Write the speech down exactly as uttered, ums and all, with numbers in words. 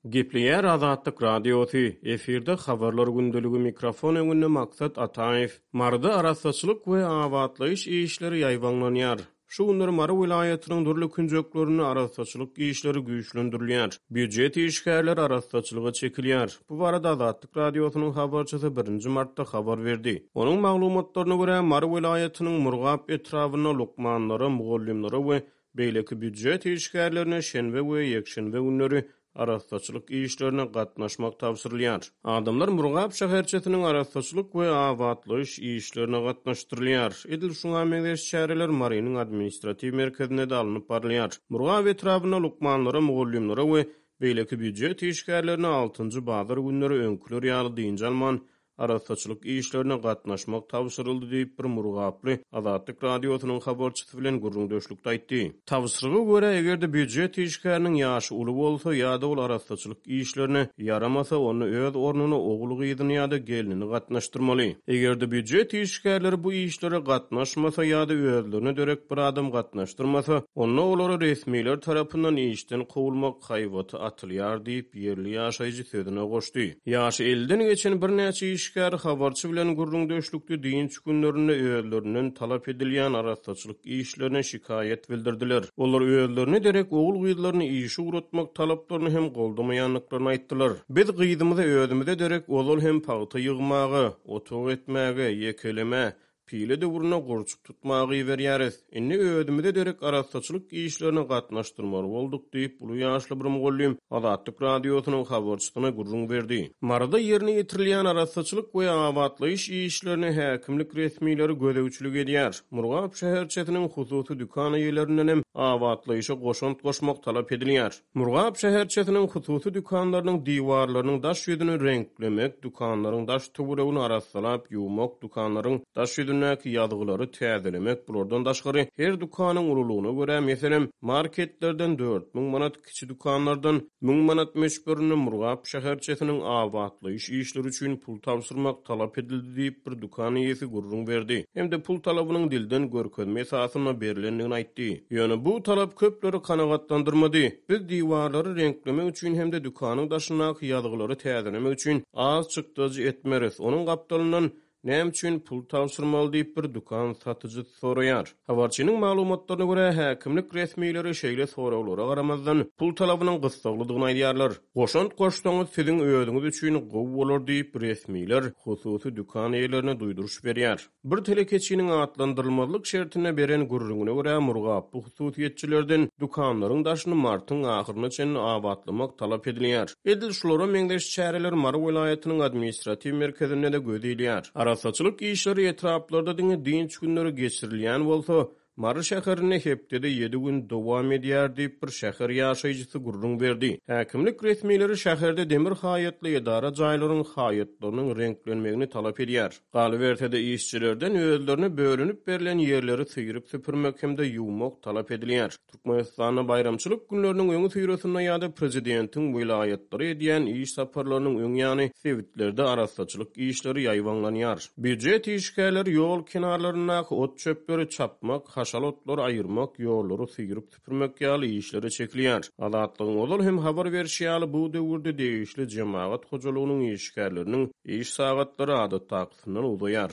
Gepleýär Azatlyk Radiosy, efirde Habarlar gündeligi, mikrofon öňünde Maksat Ataýew. Maryda arassaçylyk we abatlaýyş işleri ýaýbaňlanýar. Şu günler Mary welaýatynyň dürli künjeklerinde arassaçylyk işleri güýçlendirilýär. Býujet işgärleri arassaçylyga çekilýär. Bu barada Azatlyk Radiosynyň habarçysy birinji martda habar berdi. Onuň maglumatlaryna görä, Mary welaýatynyň Murgap etrabynda lukmanlara, mugallymlara we beýleki býujet işgärlerine şenbe we ýekşenbe günleri arassaçylyk işlerine gatnaşmak tabşyrylýar. Adamlar Murgap şäherçesiniň arassaçylyk we abatlaýyş işlerine gatnaşdyrylýar. Edil şuňa meňzeş çäreler Marynyň administratiw merkezinde-de alnyp barylýar. Murgap etrabynda lukmanlara, mugallymlara we beýleki býujet işgärlerine altynjy bazar günleri öňküler ýaly dynç alman, arassaçylyk işlerine gatnaşmak tabşyryldy diýip, bir murgaply Azatlyk Radiosynyň habarçysy bilen gürrüňdeşlikde aýtdy. Tabşyryga görä, eger-de býujet işgäriniň ýaşy uly bolsa ýa-da ol arassaçylyk işlerine ýaramasa, onda öz ornuna ogul-gyzyny ýa-da gelnini gatnaşdyrmaly. Eger-de býujet işgärleri bu işlere gatnaşmasa ýa-da özlerine derek bir adam gatnaşdyrmasa, onda olara resmiler tarapyndan işden kowulmak haýbaty atylýar diýip, ýerli ýaşaýjy sözüne goşdy. Ýaşy elliden geçen birnäçe işgär habarçy bilen gürrüňdeşlikde dynç günlerinde özlerinden talap edilýän arassaçylyk işlerine şikaýat bildirdiler. Olar özlerine derek ogul-gyzlaryny işe ugratmak talaplaryny hem goldamaýandyklaryny aýtdylar. Biz gyzymyzy özümize derek ozal hem pagta ýygmaga, otag etmäge, ýekelemä, pile döwrüne gurçuk tutmaga iberýäris. Indi özümize derek arassaçylyk işlerine gatnaşdyrmaly bolduk diýip, uly ýaşly bir mugallym Azatlyk Radiosynyň habarçysyna gürrüň berdi. Maryda ýerine ýetirilýän arassaçylyk we abatlaýyş işlerine häkimlik resmileri gözegçilik edýär. Murgap şäherçesiniň hususy dükan eýelerinden hem abatlaýyşa goşant goşmak talap edilýär. Murgap şäherçesiniň hususy dükanlarynyň diwarlarynyň daş ýüzüni reňklemek, dükanlaryň daş töweregini arassalap ýuwmak, dükanlaryň daş ýüzündäki ýazgylary täzelemek, bulardan daşgary her dükanyň ululygyna görä, meselem, marketlerden dört müň manat, kiçi dükanlardan müň manat möçberinde Murgap şäherçesiniň abatlaýyş işleri üçin pul tabşyrmak talap edildi diýip, bir dükan eýesi gürrüň berdi hem-de pul talabynyň dilden görkezme esasynda berlendigini aýtdy. Ýöne bu talap köpleri kanagatlandyrmady. Biz diwarlary reňklemek üçin hem-de dükanyň daşyndaky ýazgylary täzelemek üçin az çykdajy etmeris. Onuň gapdalyndan näme üçin pul tabşyrmaly diýip bir dükan satyjysy soraýar. Habarçynyň maglumatlaryna görä, häkimlik resmileri şeýle soraglara garamazdan pul talabynyň gyssaglydygyny aýdýarlar. Goşant goşsaňyz siziň özüňiz üçin gowy bolar diýip resmiler hususy dükan eýelerine duýduryş berýär. Bir telekeçiniň atlandyrylmazlyk şertinde beren gürrüňine görä, Murgaply hususyýetçilerden dükanlaryň daşyny martyň ahyryna çenli abatlamak talap edilýär. Edil şulara meňzeş çäreler Mary welaýatynyň administratiw merkezinde-de göz ilýär. Arassaçylyk işleri etraplarda diňe dynç günleri geçirilýän bolsa, Mary şäherinde hepdede ýedi gün dowam edýär diýip bir şäher ýaşaýjysy gürrüň berdi. Häkimlik resmileri şäherde demir haýatly edara jaýlaryň haýatlarynyň reňklenmegini talap edýär. Galyberse-de işçilerden özlerine bölünip berlen ýerleri syryp süpürmek hem-de ýuwmak talap edilýär. Türkmenistanda baýramçylyk günleriniň öňi syrasynda ýa-da prezidentiň welaýatlary edýän iş saparlarynyň öň ýany sebitlerde arassaçylyk işleri ýaýbaňlanýar. Býujet işgärleri ýol kenarlaryndaky ot çöpleri çapmak, haşal otlary aýyrmak, ýollary syryp süpürmek ýaly işlere çekilýär. Azatlygyň ozal hem habar berşi ýaly bu döwürde degişli jemagat hojalygynyň işgärleriniň iş sagatlary adatdakysyndan uzaýar.